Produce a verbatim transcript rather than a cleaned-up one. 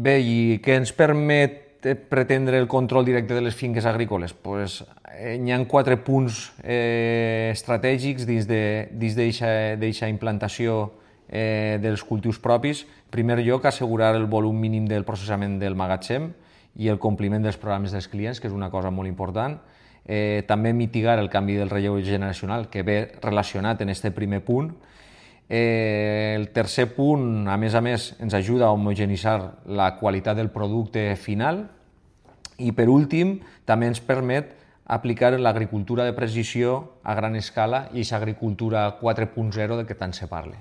Bé, i què ens permet pretendre el control directe de les finques agrícoles? Pues, eh, hi ha quatre punts eh, estratègics dins d'aquesta implantació eh, dels cultius propis. En primer lloc, assegurar el volum mínim del processament del magatzem i el compliment dels programes dels clients, que és una cosa molt important. Eh, també mitigar el canvi del relleu generacional, que ve relacionat en aquest primer punt. Eh, el tercer punt, a més a més, ens ajuda a homogeneïtzar la qualitat del producte final i, per últim, també ens permet aplicar l'agricultura de precisió a gran escala i aquesta agricultura quatre punt zero de què tant se parla.